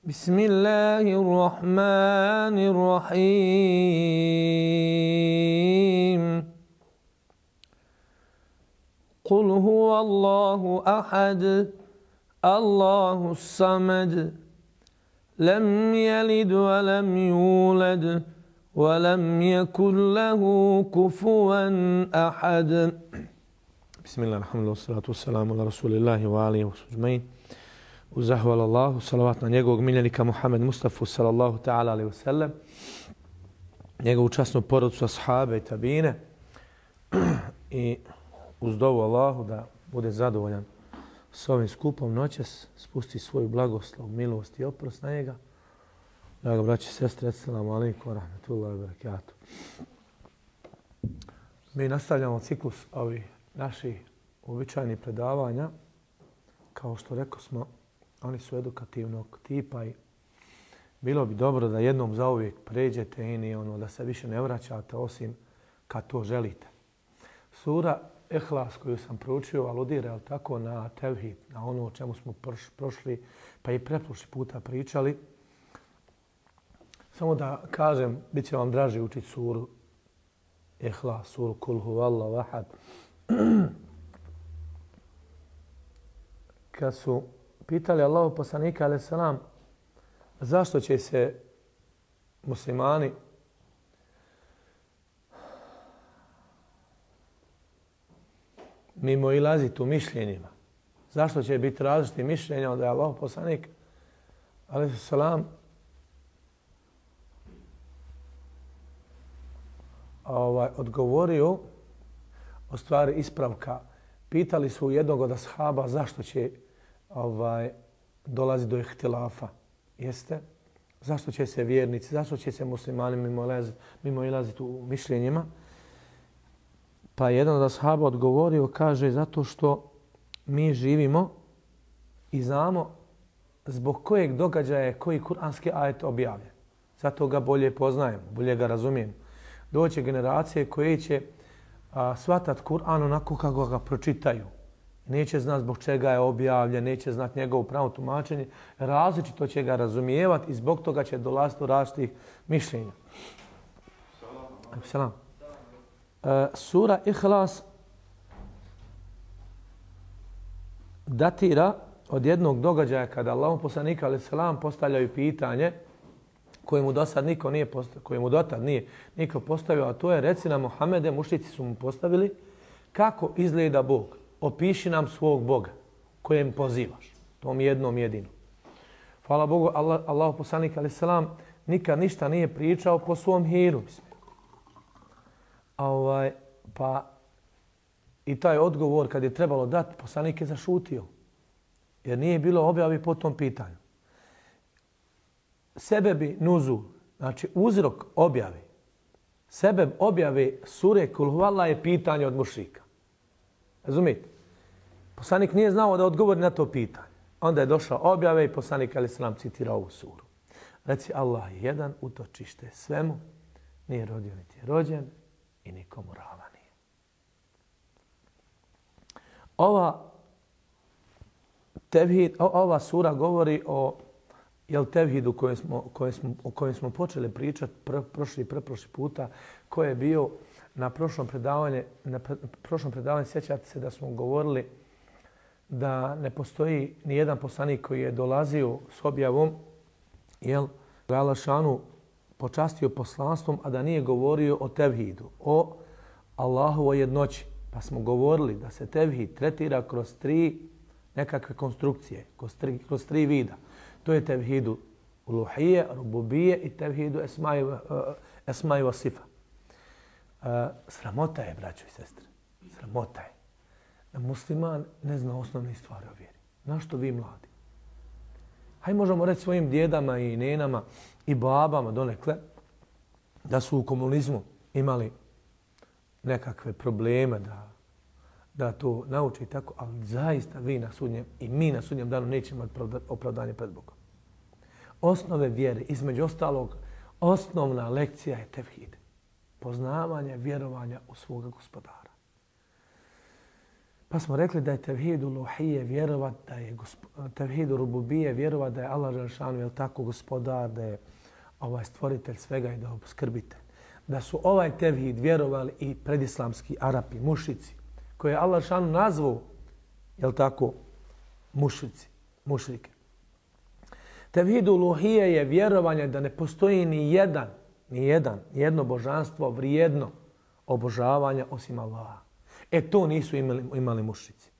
بسم الله الرحمن الرحيم قل هو الله أحد الله الصمد لم يلد ولم يولد ولم يكن له كفوا أحد بسم الله الحمد لله والصلاة والسلام على رسول الله وآله وصحبه أجمعين. Uz zahval Allahu, salavat na njegovog miljenika Muhammed Mustafa sallallahu ta'ala alaihi wa sallam, njegovu časnu porodcu, ashabe i tabine i uz dovu Allahu da bude zadovoljan s ovim skupom noćas, spusti svoju blagoslov, milost i oprost na njega. Draga braći i sestre, assalamu alaikum wa rahmatullahi wa barakatuh. Mi nastavljamo ciklus ovih naših uobičajenih predavanja. Kao što rekao smo, oni su edukativnog tipa i bilo bi dobro da jednom zauvijek pređete i da se više ne vraćate osim kad to želite. Sura Ihlas koju sam proučio aludira tako na tevhid, na ono o čemu smo prošli pa i preprošli puta pričali. Samo da kažem, bit će vam draže učiti suru Ihlas, suru Kul huvallahu ahad. Kad su pitali Allahu poslanika alejhi selam zašto će se muslimani mimo ilaziti u mišljenjima, zašto će biti različiti mišljenja, onda je Allahu poslanik alejhi selam odgovorio o stvari ispravka. Pitali su jednog od ashaba zašto će dolazi do ihtilafa. Jeste? Zašto će se vjernici, zašto će se muslimani mimo ilaziti u mišljenjima? Pa jedan od ashaba odgovorio, kaže, zato što mi živimo i znamo zbog kojeg događaja je koji kuranski ajet objavljen. Zato ga bolje poznajemo, bolje ga razumijemo. Doće generacije koje će shvatat Kur'an onako kako ga pročitaju. Neće znat zbog čega je objavljen, neće znat njegovo pravo tumačenje. Različito će ga razumijevati i zbog toga će dolaziti do različitih mišljenja. Salam. Sura Ihlas datira od jednog događaja kada Allahov poslanik alejhi selam postavljaju pitanje koje mu dotad nije niko postavio, a to je reci nam Muhammede, mušrici su mu postavili, kako izgleda Bog. Opiši nam svog Boga kojem pozivaš. Tom jednom jedinom. Hvala Bogu, Allahu poslanik alejhi selam nikad ništa nije pričao po svom hiru. Pa i taj odgovor kad je trebalo dati, poslanik je zašutio. Jer nije bilo objavi po tom pitanju. Sebebi nuzul, znači uzrok objave, sebeb objave sure Kul huvallah je pitanje od mušrika. Razumijete? Poslanik nije znao da odgovori na to pitanje. Onda je došla objave i poslanik alejhi selam citira ovu suru. Reci Allah je jedan, utočište svemu, nije rodio niti je rođen i nikomu ravan nije. Ova sura govori o tevhidu o kojem smo počeli pričati preprošli puta, koji je bio na prošlom predavanju, sjećate se da smo govorili da ne postoji ni jedan poslanik koji je dolazio s objavom, Allah šanu počastio poslanstvom, a da nije govorio o tevhidu, o Allahovoj jednoći. Pa smo govorili da se tevhid tretira kroz tri nekakve konstrukcije, kroz tri vida. To je tevhidu uluhije, rububije i tevhidu esmai wa sifa. Sramota je, braćo i sestre. Sramota je da musliman ne zna osnovne stvari o vjeri. Našto vi mladi? Hajde možemo reći svojim djedama i nenama i babama donekle da su u komunizmu imali nekakve probleme da to nauči i tako, ali zaista vi na sudnjem i mi na sudnjem danu nećemo imati opravdanje pred Bogom. Osnove vjere, između ostalog, osnovna lekcija je tevhid. Poznavanje vjerovanja u svoga gospodara. Pa smo rekli da je tevhid uluhije vjerovat, da je tevhid rububije vjerovat, da je Allah dželešanu, je tako, gospodar, da je stvoritelj svega i da je obskrbitelj. Da su ovaj tevhid vjerovali i predislamski Arapi, mušici, koje je Allah dželešanu nazvao, je tako, mušrike. Tevhid uluhije je vjerovanje da ne postoji ni jedno božanstvo vrijedno obožavanja osim Allaha. To nisu imali mušrici.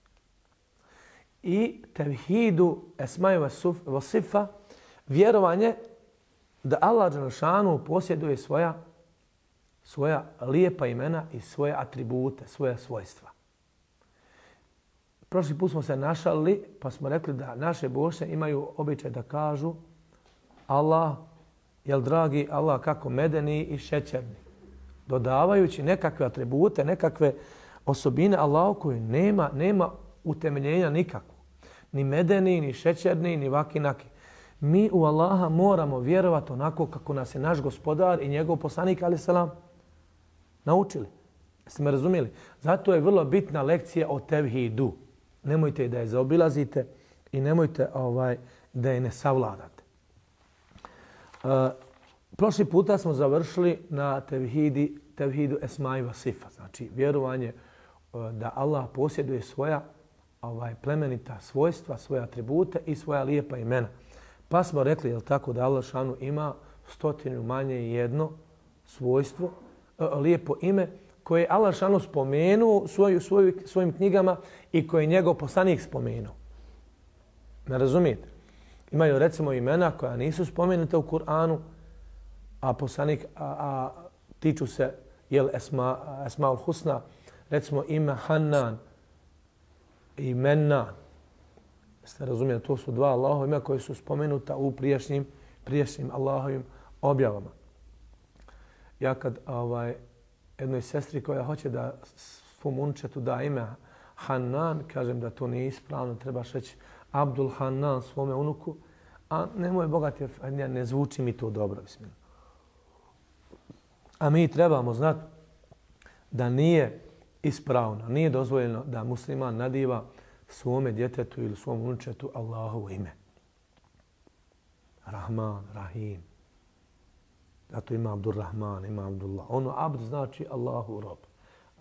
I tevhidu esmaju wa sifa, vjerovanje da Allah dželešanu posjeduje svoja lijepa imena i svoje atribute, svoja svojstva. Prošli put smo se našalili pa smo rekli da naše boše imaju običaj da kažu Allah, jel dragi Allah, kako medeni i šećerni. Dodavajući nekakve atribute, nekakve osobine Allahu koji nema utemeljenja nikakvu. Ni medeni, ni šećerni, ni vakinaki. Mi u Allaha moramo vjerovati onako kako nas je naš gospodar i njegov poslanik, alejhi selam, naučili. Jeste me razumjeli? Zato je vrlo bitna lekcija o tevhidu. Nemojte da je zaobilazite i nemojte da je ne savladate. Prošli puta smo završili na tevhidu esmaju wa sifa. Znači vjerovanje da Allah posjeduje svoja plemenita svojstva, svoje atribute i svoja lijepa imena. Pa smo rekli, jel tako, da Allah šanu ima 100 manje i jedno svojstvo, lijepo ime, koje je Allah šanu spomenuo svojim knjigama i koje je njegov poslanik spomenuo. Ne razumijete? Imaju recimo imena koja nisu spomenuta u Kur'anu, a poslanik tiču se Esmaul Husna, recimo ime Hannan i Mennan. Ste razumijeli, to su dva Allahova imena koje su spomenuta u prijašnjim Allahovim objavama. Ja kad jednoj sestri koja hoće da svom unčetu da ime Hannan, kažem da to nije ispravno, trebaš reći Abdul Hannan svome unuku, a nemoj bogati, ne zvuči mi to dobro. A mi trebamo znati da nije ispravno, nije dozvoljeno da musliman nadiva svome djetetu ili svom unučetu Allahovo ime. Rahman, Rahim. Zato ima Abdurrahman, ima Abdullah. Ono abd znači Allahu rob.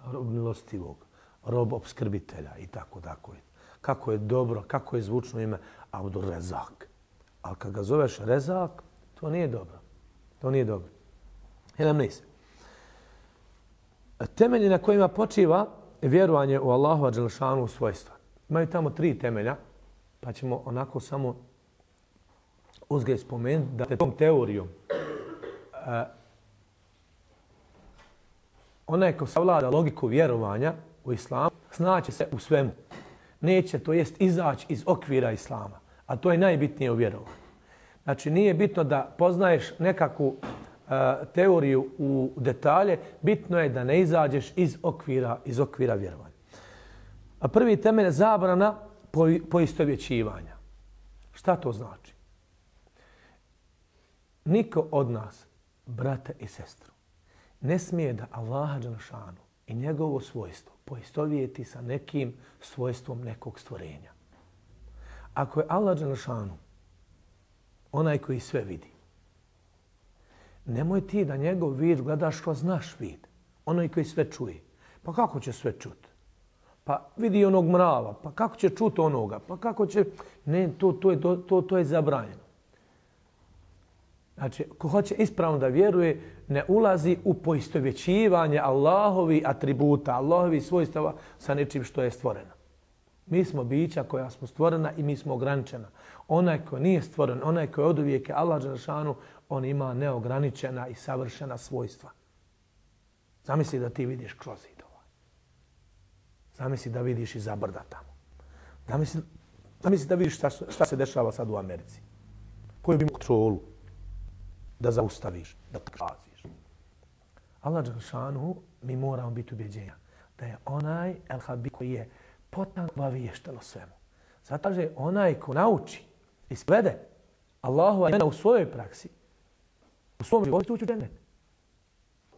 Rob milostivog, rob obskrbitelja i tako. Kako je dobro, kako je zvučno ime Abdurrezak. Ali kad ga zoveš Rezak, to nije dobro. To nije dobro. Helem nis. Temelji na kojima počiva vjerovanje u Allahova dželešanu svojstva. Imaju tamo 3 temelja, pa ćemo onako samo uzgred spomenuti da tom teorijom onaj ko savlada logiku vjerovanja u islamu, snaće se u svemu. Neće, to jest izaći iz okvira islama, a to je najbitnije u vjerovanju. Znači nije bitno da poznaješ nekakvu teoriju u detalje, bitno je da ne izađeš iz okvira vjerovanja. A prvi temelj je zabrana poistovjećivanja. Šta to znači? Niko od nas, brata i sestru, ne smije da Allaha dželešanu i njegovo svojstvo poistovjeti sa nekim svojstvom nekog stvorenja. Ako je Allah dželešanu onaj koji sve vidi, nemoj ti da njegov vid gledaš kroz naš vid, onaj koji sve čuje. Pa kako će sve čuti? Pa vidi onog mrava, pa kako će čuti onoga? Pa kako će... Ne, to je zabranjeno. Znači, ko hoće ispravno da vjeruje, ne ulazi u poistovjećivanje Allahovi atributa, Allahovi svojstava sa nečim što je stvoreno. Mi smo bića koja smo stvorena i mi smo ograničena. Onaj ko nije stvoren, onaj ko je od uvijeka Allah dželešanu, on ima neograničena i savršena svojstva. Zamisli da ti vidiš kroz zid ovaj. Zamisli da vidiš iza brda tamo. Zamisli da vidiš šta se dešava sad u Americi. Koju bi imao kontrolu da zaustaviš, da traziš. Allah dželešanu, mi moramo biti ubjeđenja da je onaj el-Habib koji je potanko obaviješten o svemu. Zato je onaj ko nauči i sprovede Allahova imena u svojoj praksi, u svom životu ući u džennet.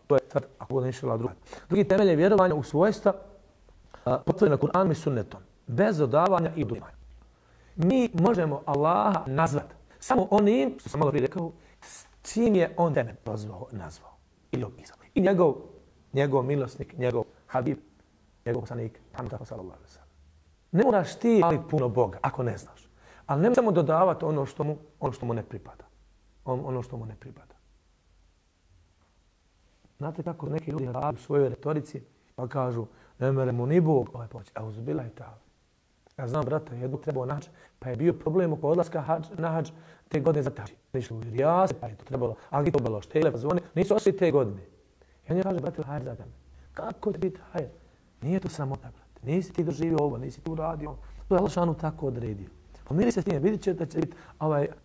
To je sad, ako bude inšala druga. Drugi temelj je vjerovanje u svojstva potvrđena Kur'anom i sunnetom, bez dodavanja i oduzimanja. Mi možemo Allaha nazvati samo onim, što sam malo prije rekao, s čim je on tebe nazvao ili opisao. I njegov milosnik, njegov habib, njegov poslanik, Muhammed sallallahu alejhi ve sellem. Ne moraš ti hvaliti puno Boga ako ne znaš. Ali ne samo dodavati ono što mu ne pripada. Ono što mu ne pripada. Znate kako neki ljudi rade u svojoj retorici pa kažu ne mere mu ni Bog ovaj pomoći. A uzbila je ta. Ja znam, brate, jednog trebao na hadž, pa je bio problem oko odlaska na hadž te godine za hadž. Nišli u Rijase, pa je to trebalo agitovalo štele, pa zvone. Nisu ošli te godine. I on je kaže, brate, hajde za tebe. Kako će biti hajde? Nije to sramota, brate. Nisi ti doživio ovo, nisi ti uradio. To je Allah šanu tako odredio. Pomiri se s tim, vidit će da će biti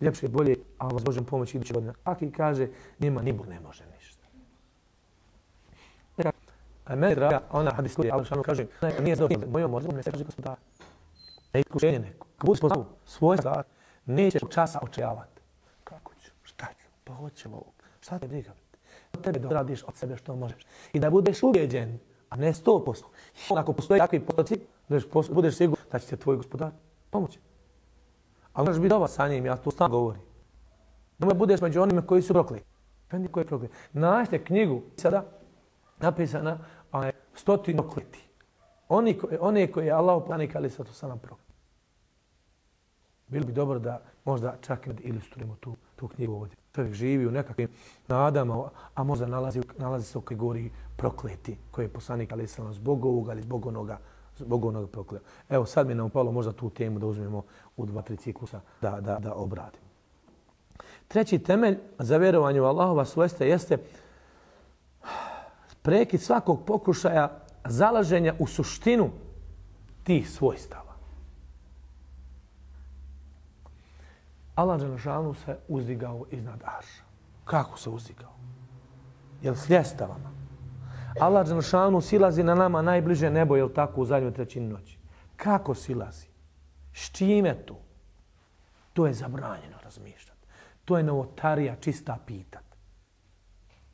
ljepše, bolje, a vas Božem pomoći iduće godine. Aki kaže, njima ni Bog ne može ništa. A meni draga, ona hadis koji Allah šanu kaže, nije zadovoljno, mojom možemo ne se kaže gospodar. Ne iskušenje neko. Kad budeš poznao svoj stvar, nećeš časa očajavati. Kako ću? Šta ću? Pa hoćemo ovo. Šta te briga? Od tebe doradiš od sebe što možeš. I da budeš ubeđen, a ne 100%. Ako postoji takvi potoci, budeš siguran da će te tvoj gospodar pomoći. Ali možeš biti dobar sa njim, ja to stalno govorim. Nemoj budeš među onima koji su prokleti. Fendi koji je proklet. Nađite knjigu sada napisana 100 prokleti. One koje je Allah poslanik ali sad to sam nam proklet. Bilo bi dobro da možda čak i ilustrujemo tu knjigu ovdje. Čovjek živi u nekakvim nadama, a možda nalazi se u kategoriji prokleti koje je poslanik ali sam zbog ovoga ili zbog onoga prokleo. Evo sad mi je nam upalo možda tu temu da uzmemo u 2-3 ciklusa da obradimo. Treći temelj za vjerovanje u Allahova svojstva jeste prekid svakog pokušaja zalaženja u suštinu tih svojstava. Allah dželešanu se uzdigao iznad arša. Kako se uzdigao? Jel s ljestavama? Allah dželešanu silazi na nama najbliže nebo, jel tako, u zadnjoj trećini noći? Kako silazi? S čime tu? To je zabranjeno razmišljati. To je novotarija, čista pitat.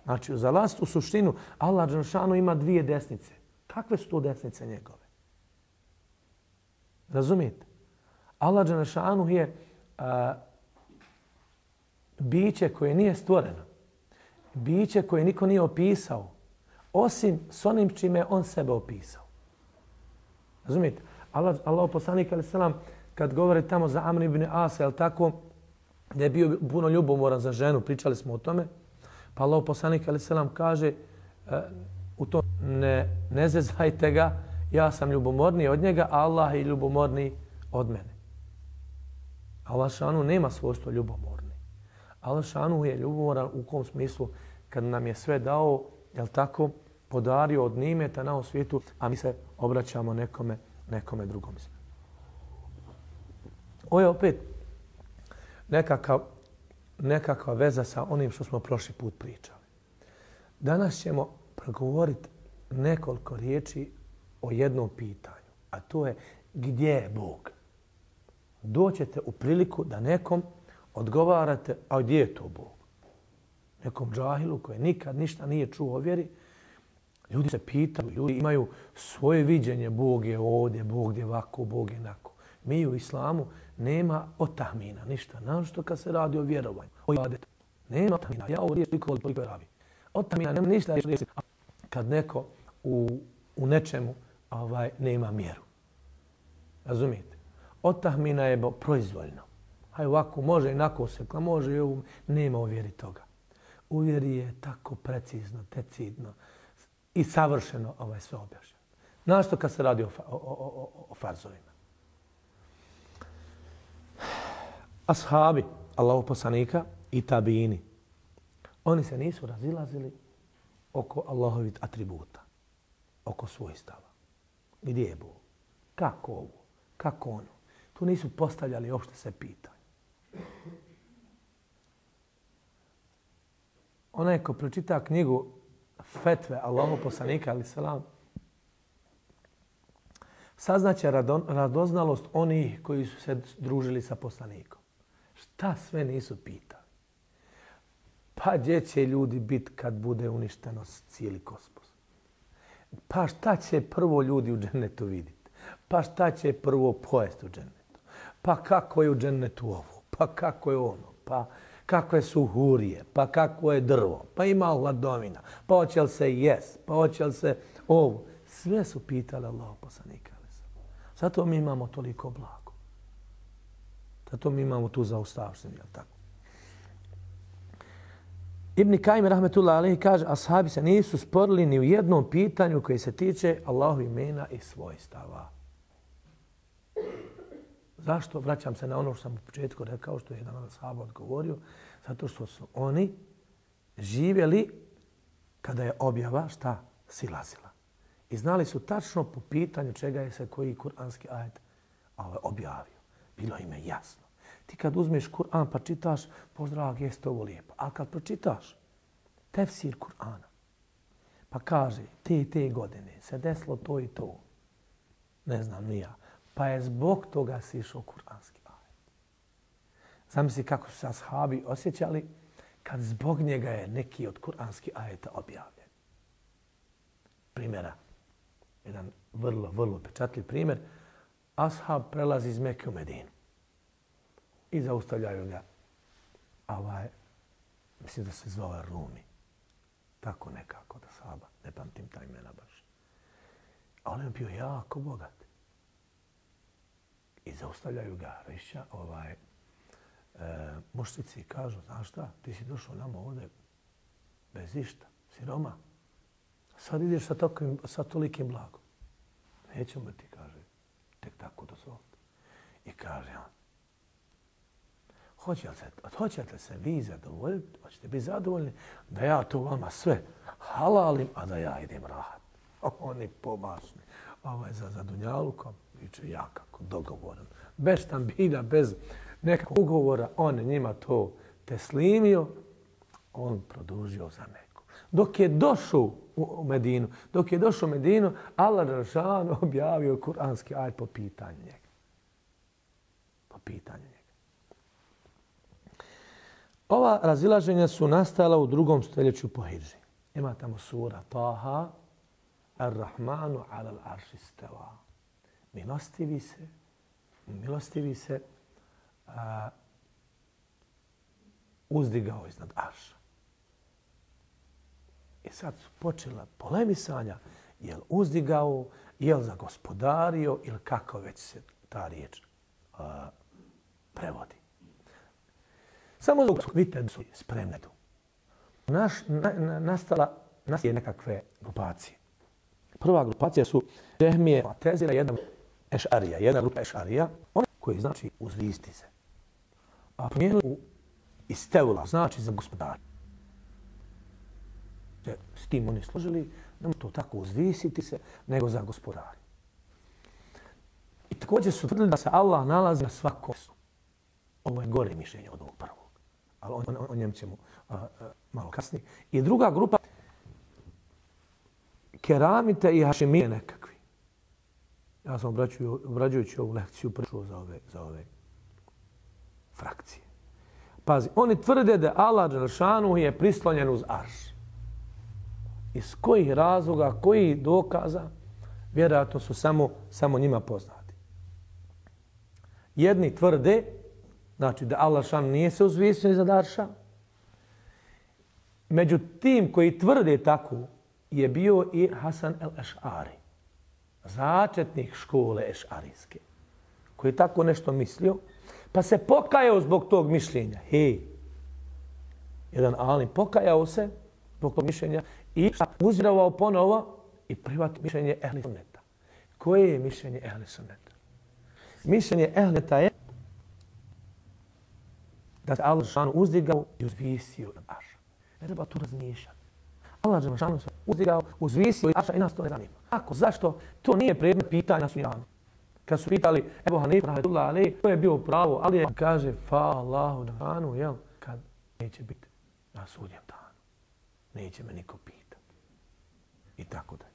Znači, za last u suštinu, Allah dželešanu ima 2 desnice. Kakve su to desnice njegove? Razumijete? Allah dželešanu je biće koje nije stvoreno. Biće koje niko nije opisao. Osim s onim čime on sebe opisao. Razumijete? Allah poslanik alejhi selam kad govori tamo za Amr ibn Asa, je tako, da je bio puno ljubomoran za ženu, pričali smo o tome, pa Allah poslanik alejhi selam kaže u to ne zezajte ga, ja sam ljubomorniji od njega, a Allah je ljubomorniji od mene. Allah šanu nema svojstvo ljubomorni. Allah šanu je ljubomoran u kom smislu kad nam je sve dao, jel tako, podario od nimeta na ovom svijetu, a mi se obraćamo nekome drugom. Ovo je opet nekakva veza sa onim što smo prošli put pričali. Danas ćemo progovoriti nekoliko riječi o jednom pitanju, a to je gdje je Bog? Doćete u priliku da nekom odgovarate, a gdje je to Bog? Nekom džahilu koji nikad ništa nije čuo o vjeri, ljudi se pitaju, ljudi imaju svoje viđenje, Bog je ovdje, Bog je ovako, Bog je onako. Mi u islamu nema otahmina, ništa. Našto kad se radi o vjerovanju, o ibadetu. Nema otahmina. Ja ovo riječ toliko je rabi. Otahmina nema ništa. Kad neko u nečemu nema mjeru. Razumijete? Otahmina je proizvoljno. Haj ovako, može inako sekla, može i ovo. Nema u vjeri toga. U vjeri je tako precizno, decidno i savršeno sve objašnjeno. Našto kad se radi o farzovima. Ashabi Allahov poslanika i tabini, oni se nisu razilazili oko Allahovih atributa, oko svojstava. Gdje je Bog? Kako ovo? Kako ono? Tu nisu postavljali uopšte se pitanje. Onaj ko pročita knjigu Fetve Allahov poslanika alejhi selam, saznaće radoznalost onih koji su se družili sa poslanikom. Šta sve nisu pitali? Pa gdje će ljudi biti kad bude uništeno cijeli kosmos? Pa šta će prvo ljudi u džennetu vidjeti? Pa šta će prvo pojesti u džennetu? Pa kako je u džennetu ovo? Pa kako je ono? Pa kakve su hurije? Pa kako je drvo? Pa ima hladovina? Pa hoće li se jest? Pa hoće li se ovo? Sve su pitali Allahov poslanika. Zato mi imamo toliko blago. Zato mi imamo tu zaustavštinu, jel tako? Ibn Kajim rahmetullahi alejhi kaže, ashabi se nisu sporili ni u jednom pitanju koje se tiče Allahu imena i svojstava. Zašto? Vraćam se na ono što sam u početku rekao, što je jedan od ashaba odgovorio. Zato što su oni živjeli kada je objava šta? Silazila. I znali su tačno po pitanju čega je se koji kuranski ajet objavio. Bilo im je jasno. Ti kad uzmeš Kur'an pa čitaš, pozdrav, jeste ovo lijepo. A kad pročitaš tefsir Kur'ana, pa kaže, te godine se desilo to i to, ne znam ni ja, pa je zbog toga sišao kuranski ajet. Zamisli kako su se ashabi osjećali kad zbog njega je neki od kuranskih ajeta objavljen. Primjera, jedan vrlo pečatljiv primjer, ashab prelazi iz Mekke u Medinu. I zaustavljaju ga. Mislim da se zvao Rumi. Tako nekako da sahaba. Ne pamtim ta imena baš. A on je bio jako bogat. I zaustavljaju ga Riša, mušnici kažu, znaš šta, ti si došao nama ovdje bez išta, siroma. Sad ideš sa tolikim blagom. Nećemo ti, kaže, tek tako dozvoliti. I kaže on, hoćete se vi zadovoljiti, hoćete biti zadovoljni da ja to vama sve halalim, a da ja idem rahat. Oni pomašni. Za dunjalukom, viče ja kako dogovoran. Bez štambilja, bez nekakvog ugovora, on njima to teslimio, on produžio za Meku. Dok je došao u Medinu, Allah dželešanu objavio kuranski ajet po pitanju njega. Po pitanju njega. Ova razilaženja su nastala u 2. stoljeću po hidži. Ima tamo sura Taha, Ar-Rahmanu alal arši steva. Milostivi se uzdigao iznad arša. I sad su počela polemisanja, je li uzdigao, je li zagospodario ili kako već se ta riječ prevodi. Samo dok vidite su spremne tu. Nastala nekakve grupacije. Prva grupacija su Džehmije, Mu'tezila, jedna grupa Ešarija, oni koji znači uzvisti se. A promijenili u istevula, znači za gospodar. S tim oni složili, ne to tako uzvisiti se, nego za gospodar. I također su tvrdili da se Allah nalazi na svakom mjestu. Ovo je gore mišljenje od ovog prvog. Ali o njem ćemo malo kasnije. I druga grupa, keramite i hašimije nekakvi. Ja sam obrađujući ovu lekciju prešao za ove frakcije. Pazi, oni tvrde da Allah dželešanu je prislonjen uz arš. Iz kojih razloga, kojih dokaza, vjerojatno su samo njima poznati. Jedni tvrde, znači da Allah šan nije se uzvisio iznad arša. Među tim koji tvrde tako je bio i Hasan el-Eš'ari, začetnik škole ešarijske, koji je tako nešto mislio, pa se pokajao zbog tog mišljenja. Jedan alim pokajao se zbog tog mišljenja i uzvjerovao ponovo i prihvatio mišljenje ehli sunneta. Koje je mišljenje ehli sunneta? Mišljenje ehli sunneta je da se Allah šanu uzdigao i uzvisio na arša. Ne treba tu razmišljati. Allah šanu se uzdigao, uzvisio i arša i nas to ne zanima. Kako? Zašto? To nije predmet pitanja na sudnjem danu. Kad su pitali Ebu Hanifa rahmetullahi alejhi, to je bio pravo, ali je kaže fa Allahu danu, jel? Kad neće biti na sudnjem danu. Neće me niko pitati. I tako dalje.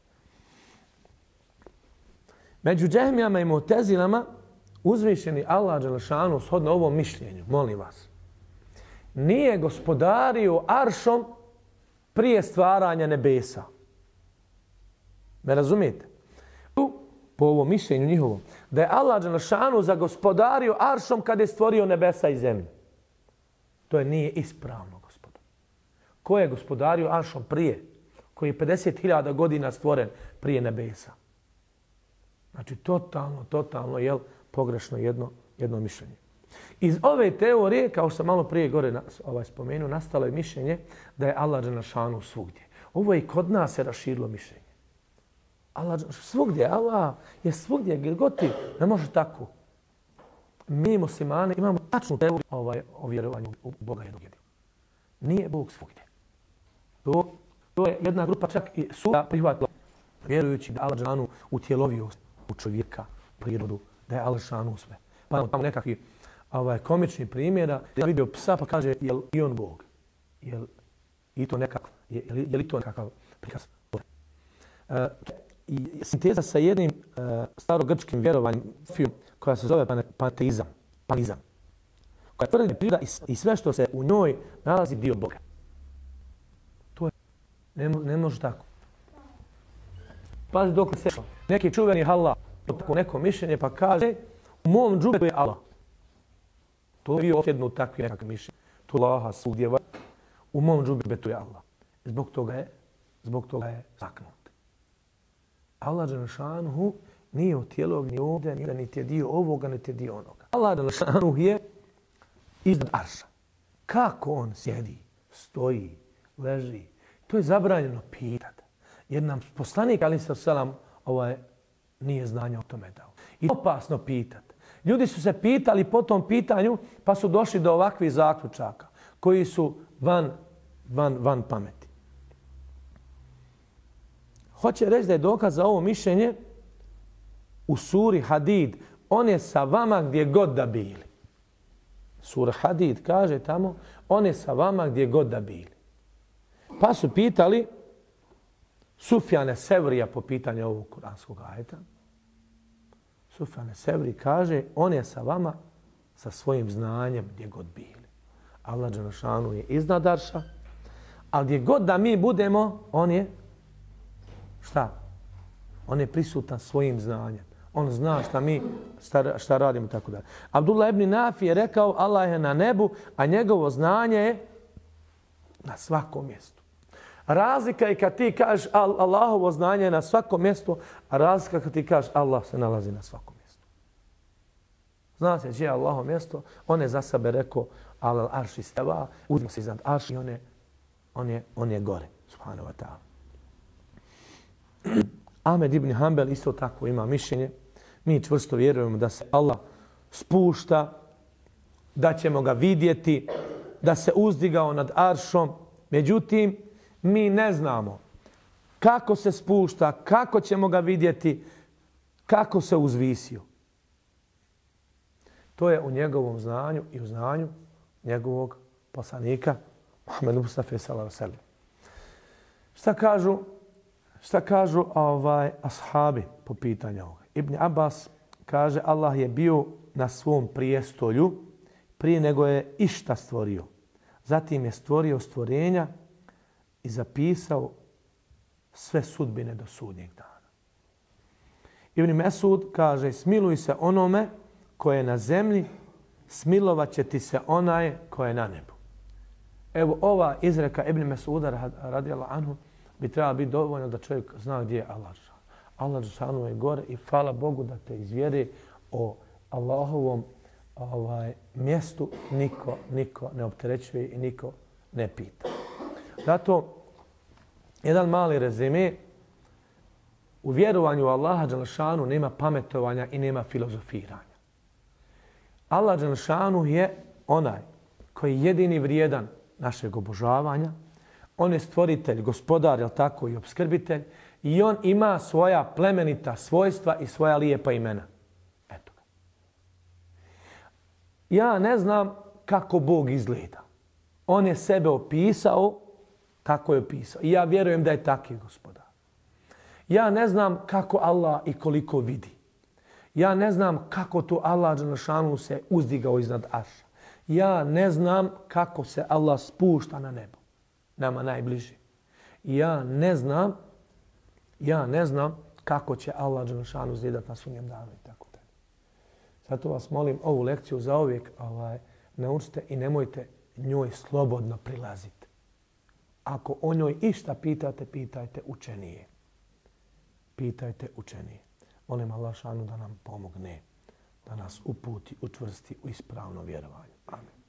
Među Džehmijama i Mu'tezilama uzvišeni Allah dželešanu shodno ovom mišljenju, molim vas, nije gospodario aršom prije stvaranja nebesa. Me razumijete? Po ovom mišljenju njihovom, da je Allah dželešanu zagospodario aršom kad je stvorio nebesa i zemlju. To nije ispravno, gospodo. Ko je gospodario aršom prije? Koji je 50.000 godina stvoren prije nebesa? Znači, totalno je pogrešno jedno mišljenje. Iz ove teorije, kao što sam malo prije gore spomenuo, nastalo je mišljenje da je Allah dželešanu svugdje. Ovo je i kod nas se raširilo mišljenje. Allah je svugdje, gdje god ti, ne može tako. Mi muslimani imamo tačnu teoriju o vjerovanju u Boga jednog jedinog. Nije Bog svugdje. To je jedna grupa čak i suda prihvatila, vjerujući da Allah dželešanu utjelovio u čovjeka, prirodu, da je Allah dželešanu sve. Pa imamo tamo nekakvi komični primjera, da je vidio psa pa kaže, jel i on Bog? Je li to nekakav prikaz? I sinteza sa jednim starogrčkim vjerovanjem koja se zove panteizam, koja tvrdi da priroda i sve što se u njoj nalazi dio Boga. To je, ne može tako. Pazi dok se neki čuveni Allah, tako neko mišljenje pa kaže u mom džubetu je Allah. To je bio osjednut takvi nekakve mišljenje. To je Allaha svugdje, u mom džubetu je Allah. Zbog toga je zaknut. Allah dželešanu nije od tijelog ni ovdje, niti je dio ovoga, niti je dio onoga. Allah dželešanu je iznad arša. Kako on sjedi, stoji, leži, to je zabranjeno pitati. Jer nam poslanik alejhi selam nije znanja o tome dao. I opasno pitati. Ljudi su se pitali po tom pitanju pa su došli do ovakvih zaključaka koji su van pameti. Hoće reći da je dokaz za ovo mišljenje u suri Hadid. On je sa vama gdje god da bili. Sura Hadid kaže tamo, on je sa vama gdje god da bili. Pa su pitali Sufjane Sevrija po pitanju ovog kuranskog ajeta. Sufjane Sevri kaže, on je sa vama sa svojim znanjem gdje god bili. Allah dželešanu je iznad arša, ali gdje god da mi budemo, on je šta? On je prisutan svojim znanjem. On zna šta radimo i tako dalje. Abdullah ibn Nafi je rekao Allah je na nebu, a njegovo znanje je na svakom mjestu. Razlika je kad ti kažeš Allahovo znanje je na svakom mjestu, a razlika kad ti kažeš Allah se nalazi na svakom mjestu. Zna se gdje je Allahovo mjesto, on je za sebe rekao al arš istava, uzme se iznad arš i on je gore. Subhanahu wa ta'ala. Ahmed ibn Hanbel isto tako ima mišljenje. Mi čvrsto vjerujemo da se Allah spušta, da ćemo ga vidjeti, da se uzdigao nad aršom. Međutim, mi ne znamo kako se spušta, kako ćemo ga vidjeti, kako se uzvisio. To je u njegovom znanju i u znanju njegovog poslanika Muhammedu Mustafa sallallahu alejhi ve sellem. Šta kažu ashabi po pitanju ovoga? Ibn Abbas kaže Allah je bio na svom prijestolju prije nego je išta stvorio. Zatim je stvorio stvorenja i zapisao sve sudbine do sudnjeg dana. Ibn Mesud kaže smiluj se onome koje je na zemlji, smilovat će ti se onaj koje je na nebu. Evo ova izreka Ibn Mesuda radijallahu anhu bi trebala biti dovoljno da čovjek zna gdje je Allah. Allah dželešanu je gore i hvala Bogu da te izvjeri o Allahovom mjestu niko ne opterećuje i niko ne pita. Zato jedan mali rezime, u vjerovanju Allaha dželešanu nema pametovanja i nema filozofiranja. Allah dželešanu je onaj koji je jedini vrijedan našeg obožavanja. On je stvoritelj, gospodar, jel tako, i opskrbitelj. I on ima svoja plemenita svojstva i svoja lijepa imena. Eto ga. Ja ne znam kako Bog izgleda. On je sebe opisao kako je opisao. I ja vjerujem da je taki gospodar. Ja ne znam kako Allah i koliko vidi. Ja ne znam kako to Allah dželešanu se uzdigao iznad arša. Ja ne znam kako se Allah spušta na nebo. Nama najbliži. Ja ne znam Ja ne znam kako će Allah dželešanu zidat na sudnjem danu i tako dalje. Zato vas molim ovu lekciju zauvijek naučite i nemojte njoj slobodno prilaziti. Ako o njoj išta pitate, pitajte učenije. Pitajte učenije. Molim Allah šanu da nam pomogne, da nas uputi, učvrsti u ispravno vjerovanje. Amin.